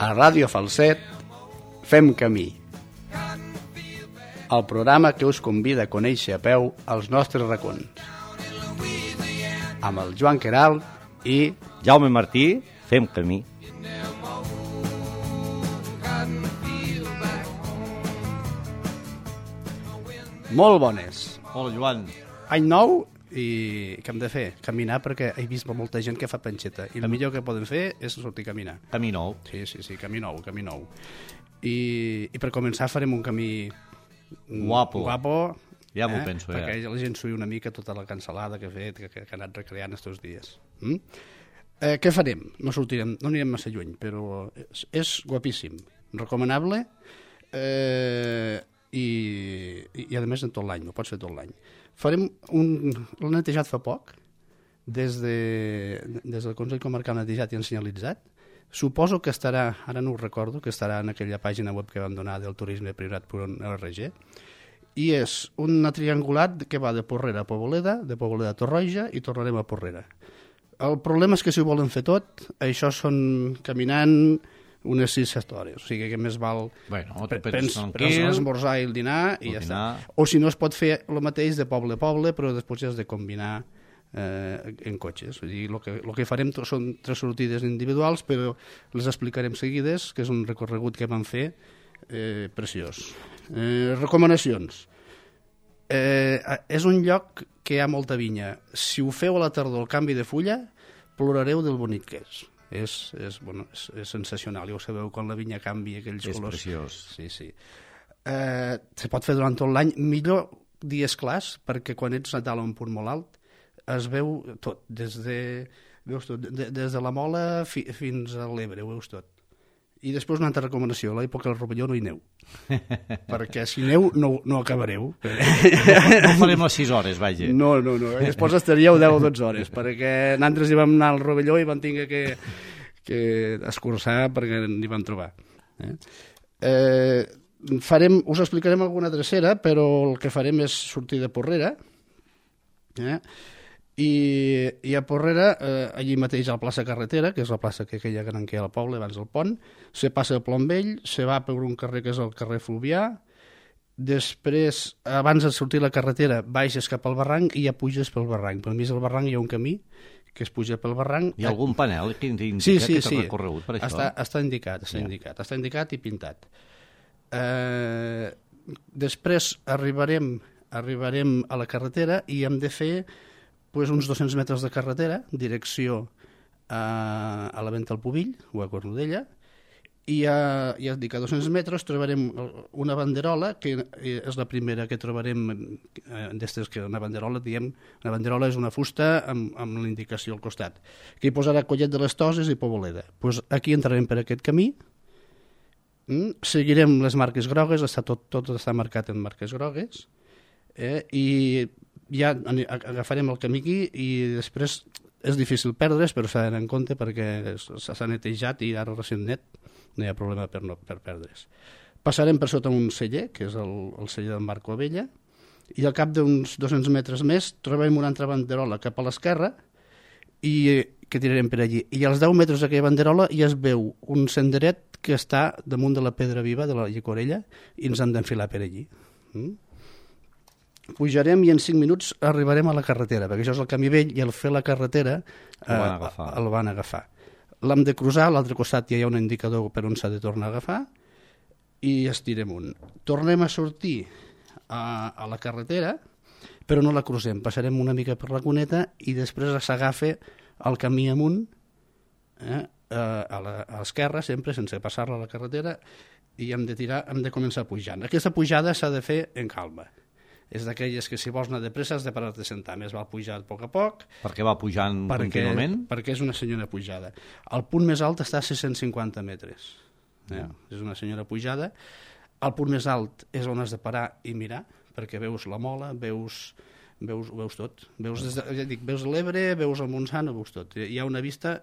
A Ràdio Falset fem camí. El programa que us convida a conèixer a peu els nostres racons. Amb el Joan Queralt i Jaume Martí, fem camí. Molt bones. Hola, Joan. Any nou i què hem de fer? Caminar, perquè he vist molta gent que fa panxeta i el millor que poden fer és sortir a caminar. Camí nou. Sí, camí nou. I per començar farem un camí Guapo. Ja m'ho penso, ja. Perquè la gent s'uï una mica tota la cansalada que ha fet, que ha anat recreant estos dies. Què farem? No anirem massa lluny, però és guapíssim, recomanable i a més en tot l'any, ho pots fer tot l'any. Farem l'han netejat fa poc, des del Consell Comarcal netejat i senyalitzat. Suposo que estarà, ara no ho recordo, que estarà en aquella pàgina web que vam donar del turisme.priorat.org, i és un triangulat que va de Porrera a Poboleda, de Poboleda a Torroja i tornarem a Porrera. El problema és que si ho volen fer tot, això són caminant unes 6-7 hores, o sigui que més val prens l'esmorzar i el dinar i ja està. O si no es pot fer el mateix de poble a poble, però després ja has de combinar en cotxes. El que farem són 3 sortides individuals, però les explicarem seguides, que és un recorregut que vam fer preciós. Recomanacions. És un lloc que hi ha molta vinya. Si ho feu a la tardor, el canvi de fulla, plorareu del bonic que és. És sensacional, ja ho sabeu, quan la vinya canvia aquells colors. És preciós. Sí. Se pot fer durant tot l'any, millor dies clars, perquè quan ets a dalt a un punt molt alt es veu tot, des de la Mola fins a l'Ebre, ho veus tot. I després una altra recomanació, a l'època del Rovelló no hi neu, perquè si neu no acabareu. No farem les 6 hores, vaja. No, després estaríeu 10 o 12 hores, perquè nosaltres hi vam anar al Rovelló i vam tenir que escurçar perquè n'hi vam trobar. Us explicarem alguna drecera, però el que farem és sortir de Porrera, i a Porrera, allí mateix a la plaça Carretera, que és la plaça que aquella gran que hi ha al poble abans del pont, se passa a Plombell, se va per un carrer que és el carrer Fluvià, després, abans de sortir la carretera, baixes cap al barranc i ja puges pel barranc. Pel mig del barranc hi ha un camí que es puja pel barranc. Hi ha algun panel que indica sí. que t'ha recorregut per això? Està indicat i pintat. Després arribarem a la carretera i hem de fer uns 200 metres de carretera, direcció a la Venta al Pubill o a Cornudella, i ja dic, a 200 metres trobarem una banderola, que és la primera que trobarem d'estes, que una banderola és una fusta amb la indicació al costat, que hi posarà Collet de les Toses i Poboleda. Aquí entrarem per aquest camí, seguirem les marques grogues, tot està marcat en marques grogues, i ja agafarem el camí aquí i després és difícil perdre's, però s'ha d'anar en compte perquè s'ha netejat i ara recent net no hi ha problema per perdre's. Passarem per sota un celler, que és el celler del Marco Abella, i al cap d'uns 200 metres més trobem una altra banderola cap a l'esquerra i que tirarem per allí. I als 10 metres d'aquella banderola ja es veu un senderet que està damunt de la pedra viva de la Llicorella i ens hem d'enfilar per allí. Pujarem i en 5 minuts arribarem a la carretera, perquè això és el camí vell i al fer la carretera el van agafar. L'hem de cruzar, a l'altre costat ja hi ha un indicador per on s'ha de tornar a agafar i estirem amunt. Tornem a sortir a la carretera, però no la cruzem, passarem una mica per la cuneta i després s'agafa el camí amunt, a l'esquerra sempre, sense passar-la a la carretera, i hem de començar pujant. Aquesta pujada s'ha de fer en calma. És d'aquelles que si vols anar de pressa has de parar-te a sentar, més val pujar a poc a poc. Perquè va pujant contínuament? Perquè és una senyora pujada. El punt més alt està a 650 metres. És una senyora pujada. El punt més alt és on has de parar i mirar, perquè veus la Mola, veus tot. Veus l'Ebre, veus el Montsant, veus tot. Hi ha una vista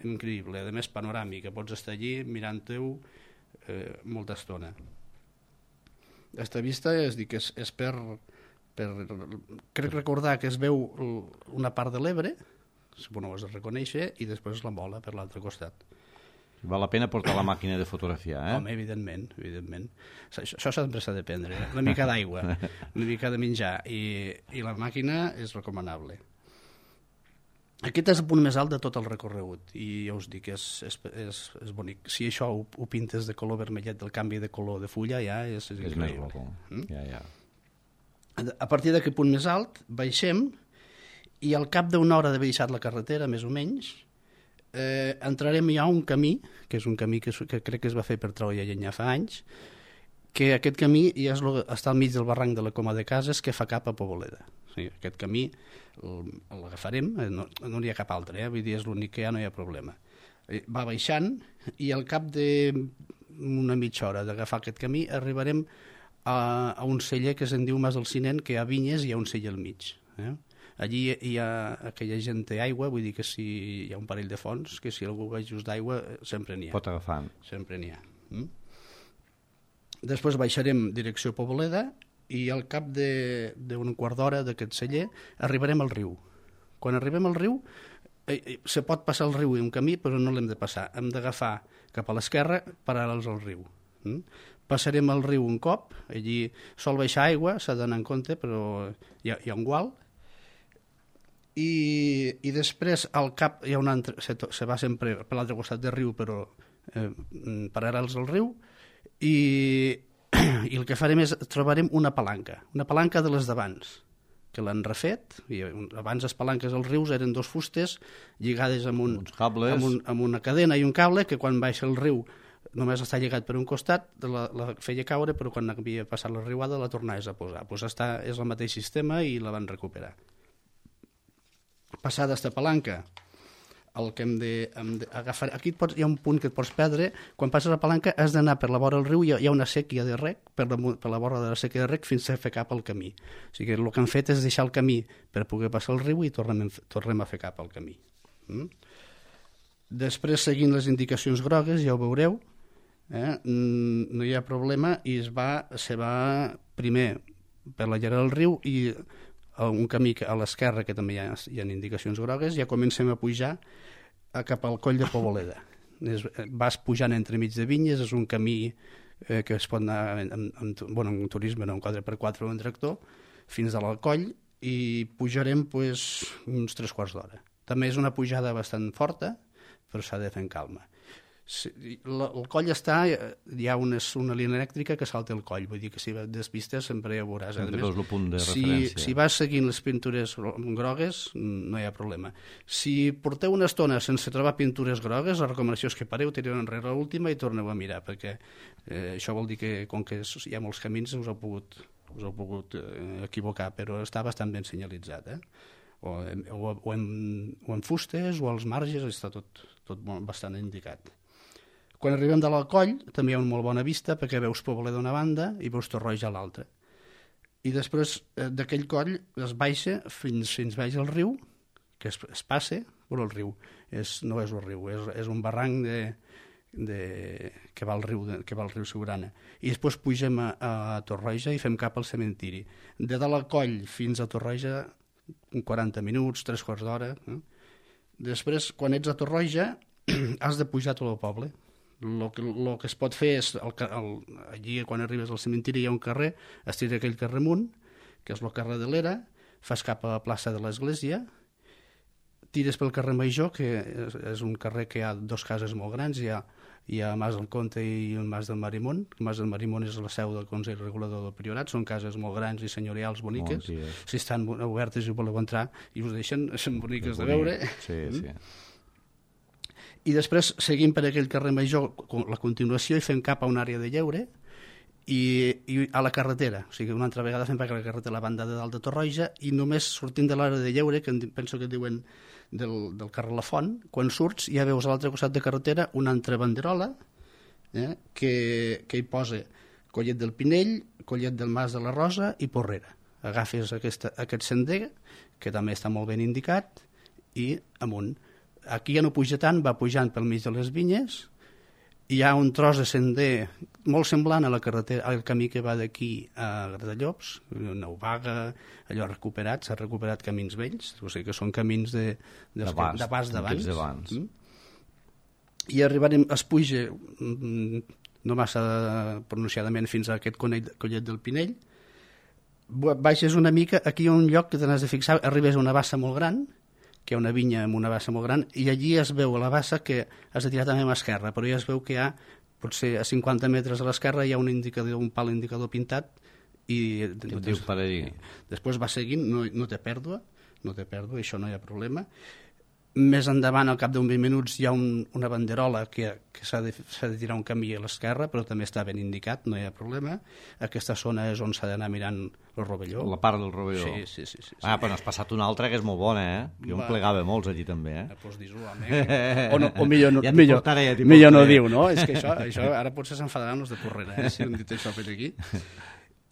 increïble, a més panoràmica. Pots estar allí mirant-ho molta estona. Aquesta vista és per crec recordar que es veu una part de l'Ebre, suposo que ho has de reconèixer, i després la Mola per l'altre costat. Val la pena portar la màquina de fotografiar, eh? Home, evidentment. Això sempre s'ha de prendre. Una mica d'aigua, una mica de menjar, i la màquina és recomanable. Aquest és el punt més alt de tot el recorregut, i ja us dic, és bonic. Si això ho pintes de color vermellet, del canvi de color de fulla, ja és increïble. És més ja. A partir d'aquest punt més alt, baixem, i al cap d'una hora d'haver deixat la carretera, més o menys, entrarem ja a un camí, que és un camí que crec que es va fer per treure llenya fa anys, que aquest camí ja està al mig del barranc de la Coma de Cases, que fa cap a Poboleda. O sigui, aquest camí l'agafarem, no n'hi ha cap altre, vull dir, és l'únic que no hi ha problema. Va baixant, i al cap d'una mitja hora d'agafar aquest camí arribarem a un celler que se'n diu Mas del Cinent, que hi ha vinyes i hi ha un celler al mig. Allí hi ha aquella gent té aigua, vull dir que si hi ha un parell de fonts, que si algú va just d'aigua sempre n'hi ha. Pot agafar. Sempre n'hi ha. Després baixarem direcció Poboleda, i al cap d'un quart d'hora d'aquest celler arribarem al riu. Quan arribem al riu, se pot passar el riu i un camí, però no l'hem de passar. Hem d'agafar cap a l'esquerra paral·lels al riu. Passarem el riu un cop, allí sol baixar aigua, s'ha d'anar en compte, però hi ha un gual, i després al cap hi ha un altre, se va sempre per l'altre costat del riu, però paral·lels al riu, i el que farem és trobarem una palanca de les d'abans, que l'han refet. Abans les palanques als rius eren dos fustes lligades amb una cadena i un cable, que quan baixa el riu només està lligat per un costat, la feia caure, però quan havia passat la riuada la tornaves a posar. És el mateix sistema i la van recuperar. Passada aquesta palanca, el que hem d'agafar... Aquí hi ha un punt que et pots perdre. Quan passes la palanca has d'anar per la vora del riu, hi ha una sèquia de rec, per la vora de la sèquia de rec, fins a fer cap al camí. O sigui que el que han fet és deixar el camí per poder passar el riu i tornem a fer cap al camí. Després, seguint les indicacions grogues, ja ho veureu, no hi ha problema, i se va primer per la llera del riu, i un camí a l'esquerra, que també hi ha indicacions grogues, ja comencem a pujar cap al coll de Poboleda. Vas pujant entremig de vinyes, és un camí que es pot anar en turisme, en un 4x4 o en tractor, fins a l'Alcoll, i pujarem uns 3/4 d'hora. També és una pujada bastant forta, però s'ha de fer en calma. El coll hi ha una línia elèctrica que salta el coll, vull dir que si vas despistes sempre ja ho veuràs. Si vas seguint les pintures grogues no hi ha problema. Si porteu una estona sense trobar pintures grogues, la recomanació és que pareu, tireu enrere l'última i torneu a mirar, perquè això vol dir que com que hi ha molts camins us heu pogut equivocar, però està bastant ben senyalitzat, o en fustes o als marges, està tot bastant indicat. Quan arribem de l'Alcoll també hi ha una molt bona vista, perquè veus Poboleda d'una banda i veus Torroja a l'altra. I després d'aquell coll es baixa fins baix al riu, que es passa per el riu. No és el riu, és un barranc que va al riu Siurana. I després pugem a Torroja i fem cap al cementiri. De l'Alcoll fins a Torroja 40 minuts, 3/4 d'hora. Després, quan ets a Torroja, has de pujar tot el poble. El que es pot fer és, allí quan arribes al cementiri hi ha un carrer, es tira aquell carrer amunt, que és el carrer de l'Era, fas cap a la plaça de l'Església, tires pel carrer Major, que és un carrer que hi ha dos cases molt grans, hi ha Mas del Comte i el Mas del Marimón. El Mas del Marimón és la seu del Consell Regulador del Priorat, són cases molt grans i senyorials boniques. Si estan obertes i voleu entrar i us deixen, són boniques de veure. Sí. I després seguim per aquell carrer Major la continuació i fem cap a una àrea de lleure i a la carretera, o sigui, una altra vegada fem per la carretera a la banda de dalt de Torroja, i només sortint de l'àrea de lleure, que penso que diuen del carrer La Font, quan surts ja veus a l'altre costat de carretera una altra banderola que hi posa Collet del Pinell, Collet del Mas de la Rosa i Porrera. Agafes aquest sender, que també està molt ben indicat, i amunt. Aquí ja no puja tant, va pujant pel mig de les vinyes, hi ha un tros de sender molt semblant a la carretera, al camí que va d'aquí a Gratallops, Neuvaga, allò recuperat, s'ha recuperat camins vells, o sigui que són camins de pas d'abans. i arribarem a Espuige no massa pronunciadament fins a aquest collet del Pinell. Baixes una mica, aquí hi ha un lloc que te n'has de fixar, arribes a una bassa molt gran, que hi ha una vinya amb una bassa molt gran, i allí es veu a la bassa que has de tirar també a l'esquerra, però ja es veu que hi ha, potser a 50 metres a l'esquerra, hi ha un pal indicador pintat, i després va seguint, no té pèrdua, això no hi ha problema. Més endavant, al cap d'un 20 minuts, hi ha una banderola que s'ha de tirar un camí a l'esquerra, però també està ben indicat, no hi ha problema. Aquesta zona és on s'ha d'anar mirant el rovelló. La part del rovelló. Sí. Però n'has passat una altra que és molt bona, eh? Jo em plegava molts allí també, eh? Doncs dis-ho, home. O millor no diu, no? És que això ara potser s'enfadaran els de Porrera, si hem dit això per aquí.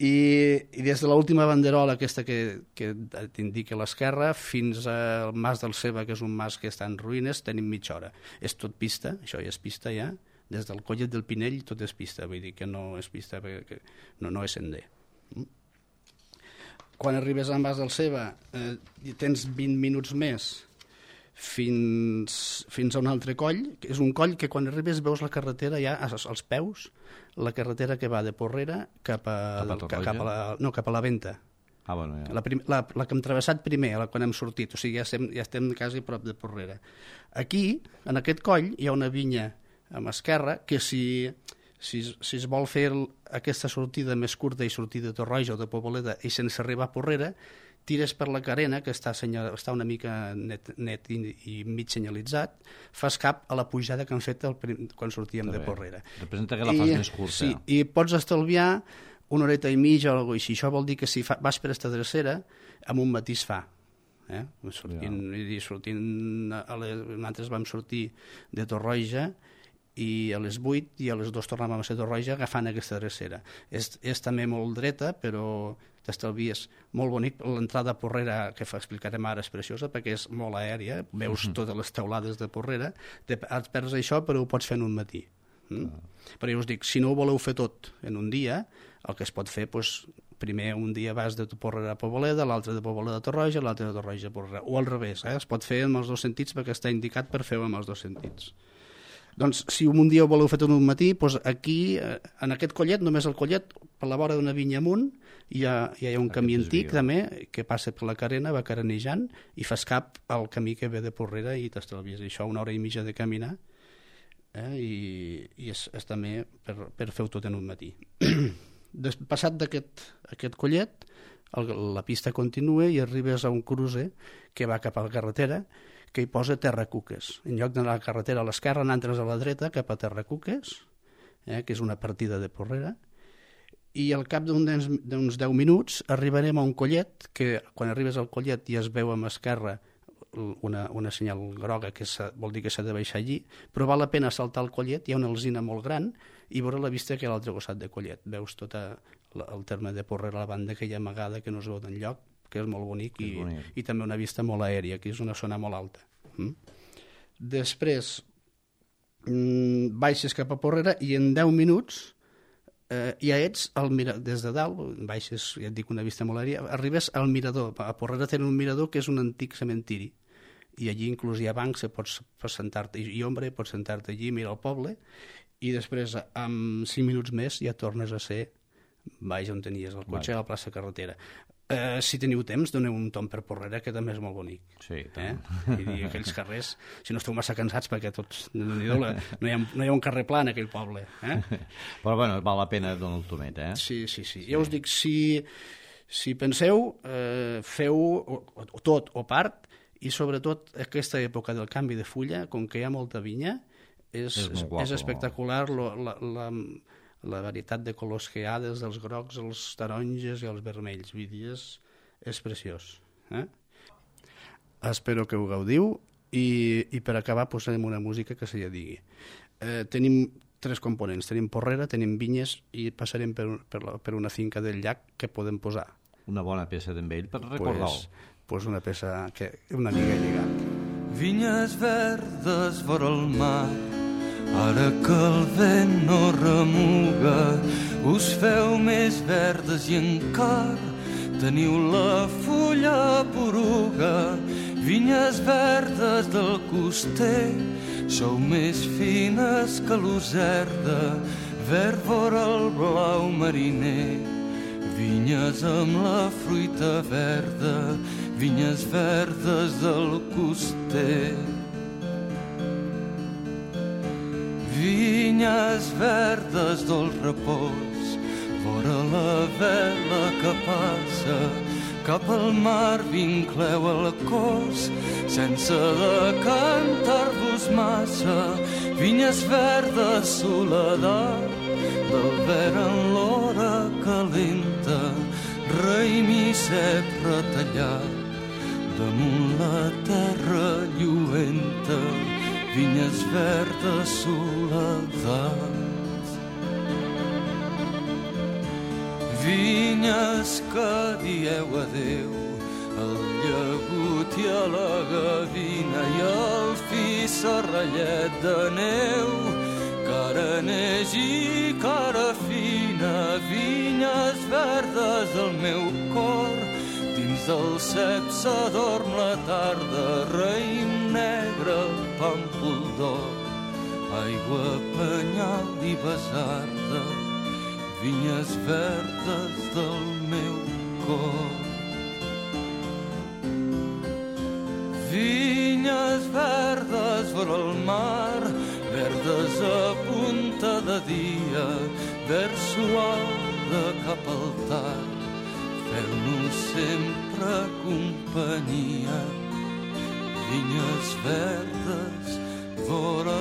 I des de l'última banderola aquesta que t'indica a l'esquerra fins al Mas del Ceba, que és un mas que està en ruïnes, tenim mitja hora. És tot pista, això ja és pista ja. Des del collet del Pinell tot és pista, vull dir que no és pista, perquè no és sender. Quan arribes al Mas del Ceba tens 20 minuts més fins a un altre coll, que és un coll que quan arribes veus la carretera ja als peus, la carretera que va de Porrera cap a la Venta. Bueno, ja. La que hem travessat primer, quan hem sortit, o sigui, ja estem quasi prop de Porrera. Aquí, en aquest coll, hi ha una vinya a l'esquerra que si es vol fer aquesta sortida més curta i sortir de Torroja o de Poboleda i sense arribar a Porrera, tires per la carena, que està una mica net i mig senyalitzat, fas cap a la pujada que han fet quan sortíem de Porrera. Representa que la fas més curta. Sí, i pots estalviar una horeta i mitja o alguna cosa així. Això vol dir que si vas per aquesta drecera, amb un matís fa. Nosaltres vam sortir de Torroja i a les 8 i a les 2 tornàvem a ser Torroja agafant aquesta drecera. És també molt dreta, però t'estalvies molt bonic. L'entrada a Porrera, que explicarem ara, és preciosa perquè és molt aèria, veus totes les teulades de Porrera, et perds això però ho pots fer en un matí. Però jo us dic, si no ho voleu fer tot en un dia, el que es pot fer, primer un dia vas de Porrera a Poboleda, l'altre de Poboleda a Torroja, l'altre de Torroja a Porrera, o al revés, es pot fer amb els dos sentits perquè està indicat per fer-ho amb els dos sentits. Doncs si un dia ho voleu fer tot un matí, aquí, en aquest collet, només el collet, per la vora d'una vinya amunt, hi ha un camí antic també, que passa per la carena, va carenejant, i fas cap al camí que ve de Porrera i t'estalvies això, una hora i mitja de caminar, i és també per fer-ho tot en un matí. Passat d'aquest collet, la pista continua i arribes a un cruce que va cap a la carretera, que hi posa Terracuques. En lloc d'anar a la carretera a l'esquerra, n'entres a la dreta cap a Terracuques, que és una partida de Porrera, i al cap d'uns 10 minuts arribarem a un collet, que quan arribes al collet ja es veu a l'esquerra una senyal groga, que vol dir que s'ha de baixar allí, però val la pena saltar el collet, hi ha una alzina molt gran, i veure la vista que hi ha a l'altre costat de collet. Veus tot el terme de Porrera, la banda aquella amagada que no es veu d'enlloc, que és molt bonic, i també una vista molt aèria, que és una zona molt alta. Després baixes cap a Porrera i en 10 minuts ja ets des de dalt, baixes, ja et dic, una vista molt aèria, arribes al mirador. A Porrera tenen un mirador que és un antic cementiri, i allí inclús hi ha bancs, pots sentar-te i ombra, pots sentar-te allí, mirar el poble, i després en 5 minuts més ja tornes a ser baix on tenies el cotxe, a la plaça Carretera. Si teniu temps, doneu un tom per Porrera, que també és molt bonic. Sí, I aquells carrers, si no esteu massa cansats, perquè tots, no hi ha un carrer pla en aquell poble. Però bueno, val la pena donar el tomet, eh? Sí. Ja us dic, si penseu, feu tot o part, i sobretot aquesta època del canvi de fulla, com que hi ha molta vinya, és espectacular la varietat de colors que hi ha, des dels grocs, els taronges i els vermells. Vull dir, és preciós. Espero que ho gaudiu, i per acabar posarem una música que se ja digui. Tenim 3 components. Tenim Porrera, tenim vinyes, i passarem per una finca del llac que podem posar. Una bona peça d'en Vell per recordar-ho. Pues una peça que una mica he lligat. Vinyes verdes vora el mar, ara que el vent no remuga, us feu més verdes i encara teniu la fulla poruga. Vinyes verdes del coster, sou més fines que l'userda, verd vora el blau mariner. Vinyes amb la fruita verda, vinyes verdes del coster. Vinyes verdes del repòs, vora la vela que passa, cap al mar vincleu el cos, sense decantar-vos massa. Vinyes verdes, soledat, del verd en l'hora calenta, raïm i cep retallat, damunt la terra lluenta. Vinyes verdes, soledat. Vinyes que dieu adeu al llagut i a la gavina i al fi serrallet de neu, cara neix i cara fina. Vinyes verdes del meu cor, dins del cep s'adorm la tarda, raïm negre, pàmpol d'or, aigua, penyal i besarda. Vinyes verdes del meu cor. Vinyes verdes vora el mar, verdes a punta de dia, verd suau de cap al tard, feu-nos sempre companyia. Vinyes verdes vora